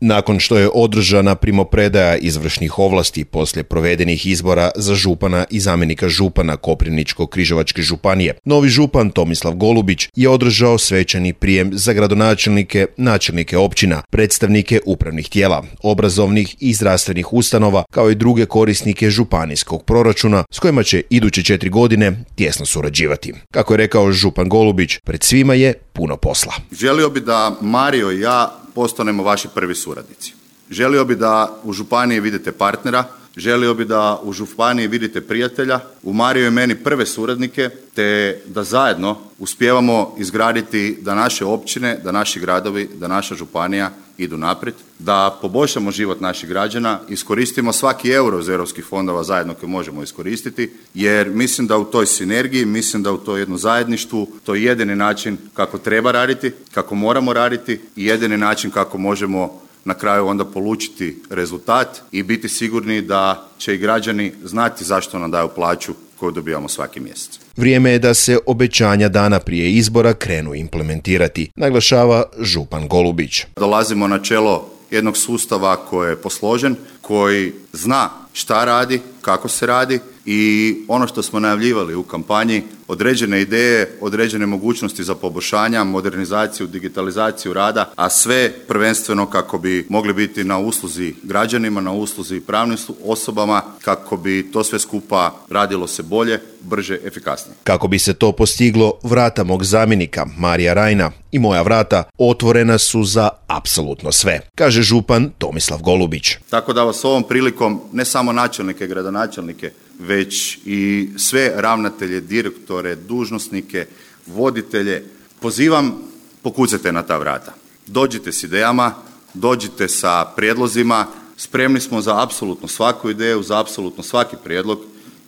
Nakon što je održana primopredaja izvršnih ovlasti poslije provedenih izbora za župana i zamjenika župana Koprivničko-križevačke županije, novi župan Tomislav Golubić je održao svečani prijem za gradonačelnike, načelnike općina, predstavnike upravnih tijela, obrazovnih i zdravstvenih ustanova, kao i druge korisnike županijskog proračuna s kojima će iduće 4 godine tjesno surađivati. Kako je rekao župan Golubić, pred svima je puno posla. Želio bi da Mario i ja postanemo vaši prvi suradnici. Želio bi da u županiji vidite partnera, želio bi da u županiji vidite prijatelja, u Mariju i meni prve suradnike, te da zajedno uspijevamo izgraditi da naše općine, da naši gradovi, da naša županija idu naprijed, da poboljšamo život naših građana, iskoristimo svaki euro iz europskih fondova zajedno koje možemo iskoristiti, jer mislim da u toj sinergiji, mislim da u to jednom zajedništvu, to je jedini način kako treba raditi, kako moramo raditi i jedini način kako možemo na kraju onda polučiti rezultat i biti sigurni da će i građani znati zašto nam daju plaću koju dobijamo svaki mjesec. Vrijeme je da se obećanja dana prije izbora krenu implementirati, naglašava župan Golubić. Dolazimo na čelo jednog sustava koji je posložen, koji zna šta radi, kako se radi i ono što smo najavljivali u kampanji, određene ideje, određene mogućnosti za poboljšanja, modernizaciju, digitalizaciju rada, a sve prvenstveno kako bi mogli biti na usluzi građanima, na usluzi pravnim osobama, kako bi to sve skupa radilo se bolje, brže, efikasnije. Kako bi se to postiglo, vrata mog zamjenika Marija Rajna i moja vrata otvorena su za apsolutno sve, kaže župan Tomislav Golubić. Tako da vas ovom prilikom, ne samo načelnike, gradonačelnike, već i sve ravnatelje, direktore, dužnosnike, voditelje, pozivam, pokucajte na ta vrata. Dođite s idejama, dođite sa prijedlozima, spremni smo za apsolutno svaku ideju, za apsolutno svaki prijedlog,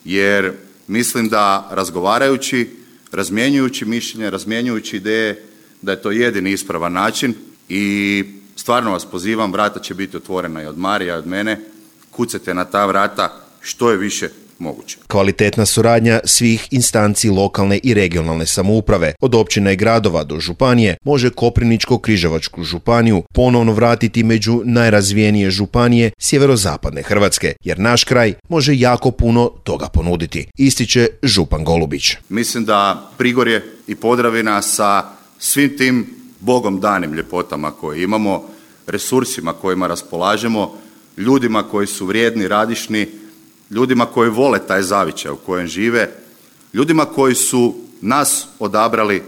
jer mislim da razgovarajući, razmjenjujući mišljenje, razmjenjujući ideje, da je to jedini ispravan način i stvarno vas pozivam, vrata će biti otvorena i od Marija i od mene, kucajte na ta vrata što je više moguće. Kvalitetna suradnja svih instanci lokalne i regionalne samouprave, od općina i gradova do županije, može Koprivničko-križevačku županiju ponovno vratiti među najrazvijenije županije sjeverozapadne Hrvatske, jer naš kraj može jako puno toga ponuditi, ističe župan Golubić. Mislim da Prigorje i Podravina sa svim tim Bogom danim ljepotama koje imamo, resursima kojima raspolažemo, ljudima koji su vrijedni, radišni, ljudima koji vole taj zavičaj u kojem žive, ljudima koji su nas odabrali,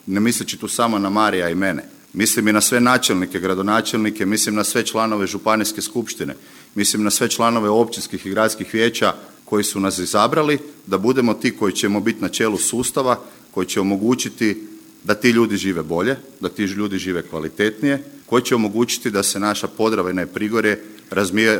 ne misleći tu samo na Marija i mene, mislim i na sve načelnike, gradonačelnike, mislim na sve članove županijske skupštine, mislim na sve članove općinskih i gradskih vijeća koji su nas izabrali, da budemo ti koji ćemo biti na čelu sustava, koji će omogućiti da ti ljudi žive bolje, da ti ljudi žive kvalitetnije, koji će omogućiti da se naša Podravina i Prigorje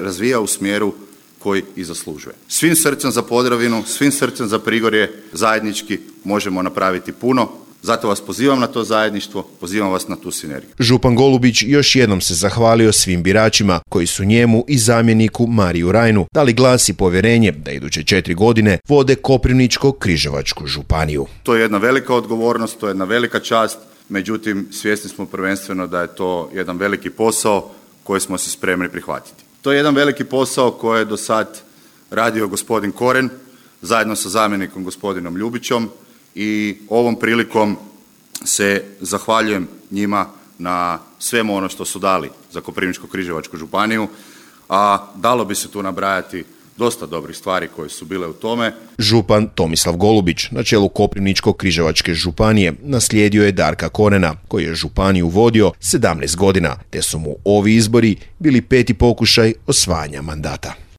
razvija u smjeru koji i zaslužuje. Svim srcem za Podravinu, svim srcem za Prigorje zajednički možemo napraviti puno. Zato vas pozivam na to zajedništvo, pozivam vas na tu sinergiju. Župan Golubić još jednom se zahvalio svim biračima koji su njemu i zamjeniku Mariju Rajnu dali glas i povjerenje da iduće 4 godine vode Koprivničko-križevačku županiju. To je jedna velika odgovornost, to je jedna velika čast, međutim svjesni smo prvenstveno da je to jedan veliki posao koji smo se spremni prihvatiti. To je jedan veliki posao koji je do sad radio gospodin Koren zajedno sa zamjenikom gospodinom Ljubićom i ovom prilikom se zahvaljujem njima na svemu ono što su dali za Koprivničko-križevačku županiju, a dalo bi se tu nabrajati dosta dobrih stvari koje su bile u tome. Župan Tomislav Golubić na čelu Koprivničko-križevačke županije naslijedio je Darka Korena, koji je županiju vodio 17 godina, te su mu ovi izbori bili 5. pokušaj osvajanja mandata.